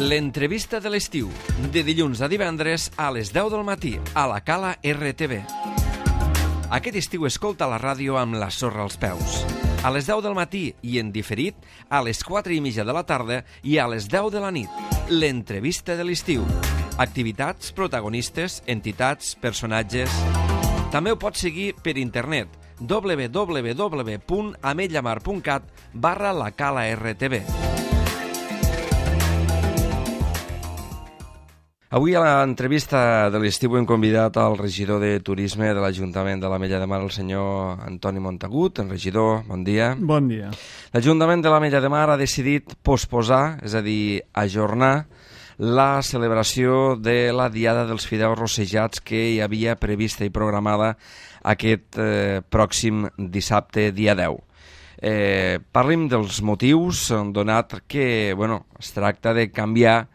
L'entrevista de l'estiu, de dilluns a divendres a les 10 del matí, a la Cala RTV. Aquest estiu escolta la ràdio amb la sorra als peus. A les 10 del matí i en diferit, a les 4:30 de la tarda i a les 10 de la nit. L'entrevista de l'estiu. Activitats, protagonistes, entitats, personatges... També ho pots seguir per internet www.ametlllamar.cat/la-cala-rtv. Avui a l'entrevista de l'estiu hem convidat al regidor de Turisme de l'Ajuntament de l'Ametlla de Mar, el senyor Antoni Montagut. En regidor, bon dia. Bon dia. L'Ajuntament de l'Ametlla de Mar ha decidit posposar, és a dir, ajornar, la celebració de la Diada dels Fideus Rossejats que hi havia prevista i programada aquest pròxim dissabte, dia 10. Parlim dels motius, donat que es tracta de canviar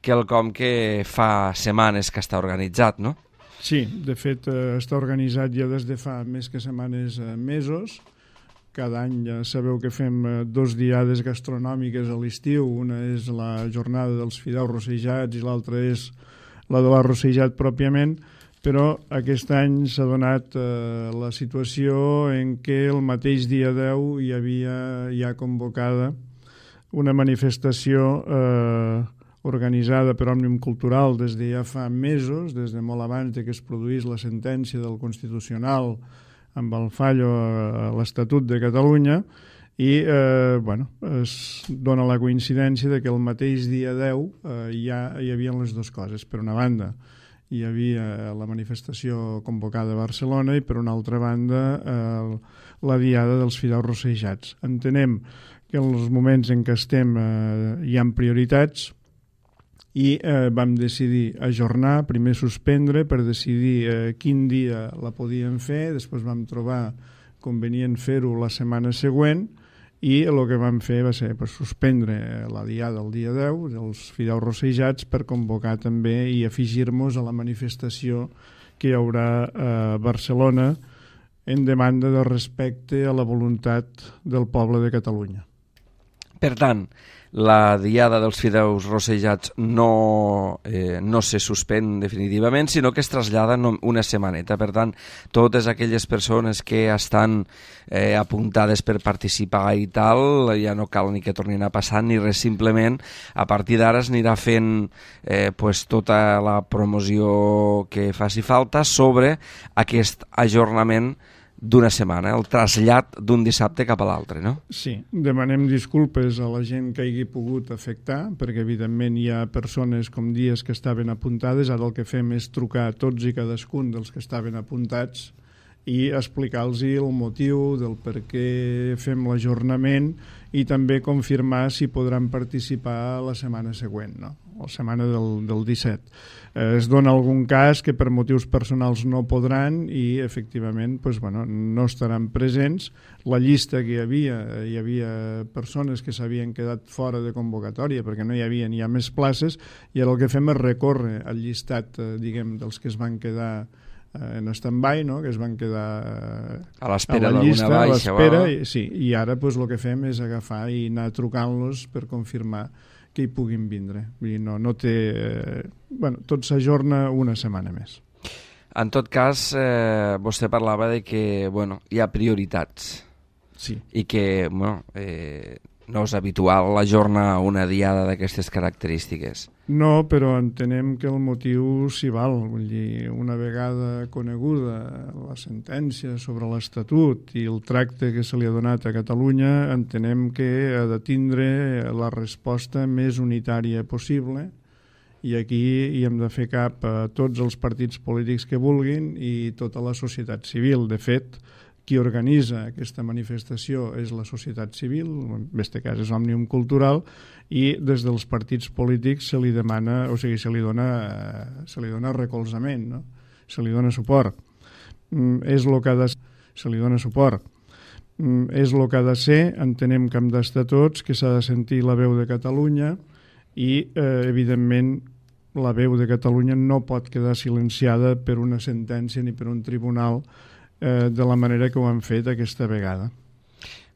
quelcom que fa setmanes que està organitzat, no? Sí, de fet està organitzat ja des de fa més que setmanes, mesos. Cada any ja sabeu que fem 2 diades gastronòmiques a l'estiu. Una és la jornada dels fideus rossejats i l'altra és la de l'arrossejat pròpiament, però aquest any s'ha donat la situació en què el mateix dia 10 hi havia ja convocada una manifestació organitzada per Òmnium Cultural des de ja fa mesos, des de molt abans que es produís la sentència del Constitucional amb el fallo a l'Estatut de Catalunya, i es dona la coincidència de que el mateix dia 10 ja hi havia les dues coses. Per una banda, hi havia la manifestació convocada a Barcelona i per una altra banda la Diada dels Fideus Rossejats. Entenem que en els moments en què estem hi ha prioritats, i vam decidir ajornar, primer suspendre per decidir quin dia la podíem fer, després vam trobar convenient fer-ho la setmana següent i el que vam fer va ser suspendre la diada el dia 10 dels fideus rossejats per convocar també i afegir-nos a la manifestació que hi haurà a Barcelona en demanda de respecte a la voluntat del poble de Catalunya. Per tant, la Diada dels Fideus Rossejats no se suspèn definitivament, sinó que es trasllada una setmaneta. Per tant, totes aquelles persones que estan apuntades per participar i tal, ja no cal ni que tornin a passar ni res, simplement a partir d'ara es anirà fent tota la promoció que faci falta sobre aquest ajornament d'una setmana, el trasllat d'un dissabte cap a l'altre, no? Sí, demanem disculpes a la gent que hagi pogut afectar, perquè evidentment hi ha persones com dies que estaven apuntades. Ara el que fem és trucar a tots i cadascun dels que estaven apuntats i explicar-los el motiu del per què fem l'ajornament i també confirmar si podran participar la setmana següent, no? La setmana del 17. Es dona algun cas que per motius personals no podran i efectivament no estaran presents. La llista que hi havia persones que s'havien quedat fora de convocatòria perquè no hi havia ni més places, i ara el que fem és recórrer al llistat dels que es van quedar en stand-by, no? Que es van quedar a l'espera d'alguna baixa. I ara el que fem és agafar i anar trucant-los per confirmar que hi puguin vindre. Vull dir, no té... tot s'ajorna una setmana més. En tot cas, vostè parlava de que hi ha prioritats. Sí. I que no és habitual ajornar una diada d'aquestes característiques. No, però entenem que el motiu s'hi val. Vull dir, una vegada coneguda la sentència sobre l'Estatut i el tracte que se li ha donat a Catalunya, entenem que ha de tindre la resposta més unitària possible, i aquí hi hem de fer cap a tots els partits polítics que vulguin i tota la societat civil. De fet, qui organitza aquesta manifestació és la societat civil, en aquest cas és Òmnium Cultural, i des dels partits polítics se li demana, se li dona recolzament, no? Se li dona suport. És el que ha de ser. Entenem que hem d'estar tots, que s'ha de sentir la veu de Catalunya i, evidentment, la veu de Catalunya no pot quedar silenciada per una sentència ni per un tribunal de la manera que ho han fet aquesta vegada.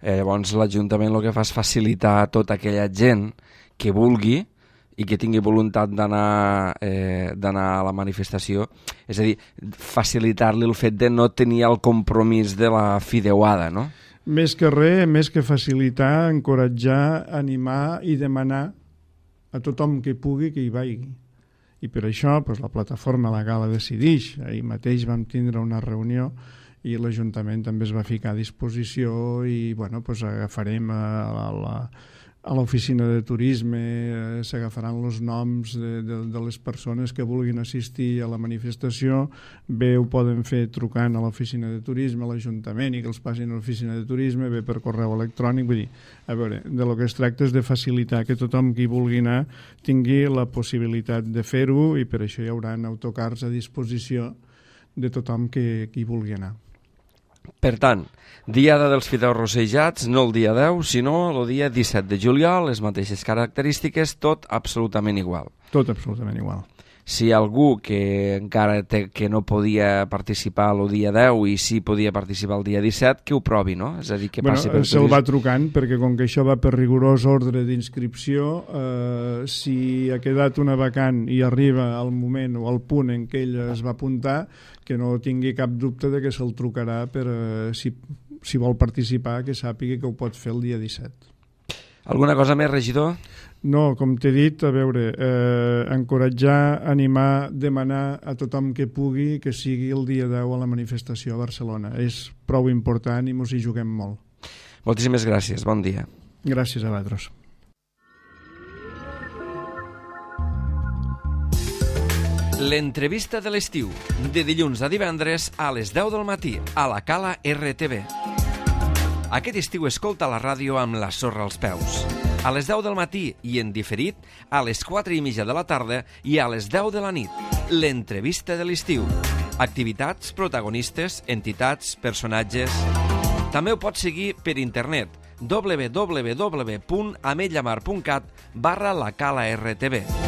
Llavors l'Ajuntament el que fa és facilitar a tota aquella gent que vulgui i que tingui voluntat d'anar a la manifestació, és a dir, facilitar-li el fet de no tenir el compromís de la fideuada, no? Més que res, més que facilitar, encoratjar, animar i demanar a tothom que pugui que hi vagi. I per això la plataforma La Gala decideix. Ahir mateix vam tindre una reunió i l'Ajuntament també es va ficar a disposició i agafarem a l'oficina de turisme, s'agafaran els noms de les persones que vulguin assistir a la manifestació. Bé ho poden fer trucant a l'oficina de turisme, a l'Ajuntament, i que els passin a l'oficina de turisme, bé per correu electrònic. Vull dir, a veure, de lo que es tracta és de facilitar que tothom qui vulgui anar tingui la possibilitat de fer-ho, i per això hi haurà autocars a disposició de tothom que hi vulgui anar. Per tant, Diada dels Fideus Rossejats, no el dia 10, sinó el dia 17 de juliol, les mateixes característiques, tot absolutament igual. Tot absolutament igual. Si hi ha algú que encara que no podia participar el dia 10 i sí podia participar el dia 17, que ho provi, no? És a dir, que passi per... Se'l va trucant, perquè com que això va per rigorós ordre d'inscripció, si ha quedat una vacant i arriba al moment o al punt en què ell es va apuntar, que no tingui cap dubte de que se'l trucarà per, si vol participar, que sàpiga que ho pot fer el dia 17. Alguna cosa més, regidor? No, com t'he dit, a veure, encoratjar, animar, demanar a tothom que pugui que sigui el dia 10 a la manifestació a Barcelona. És prou important i mos hi juguem molt. Moltíssimes gràcies, bon dia. Gràcies a vosaltres. L'entrevista de l'estiu, de dilluns a divendres a les 10 del matí, a la Cala RTV. Aquest estiu escolta la ràdio amb la sorra als peus. A les 10 del matí i en diferit a les 4:30 de la tarda i a les 10 de la nit. L'entrevista de l'estiu. Activitats, protagonistes, entitats, personatges... També ho pots seguir per internet www.ametlllamar.cat/la Cala RTV.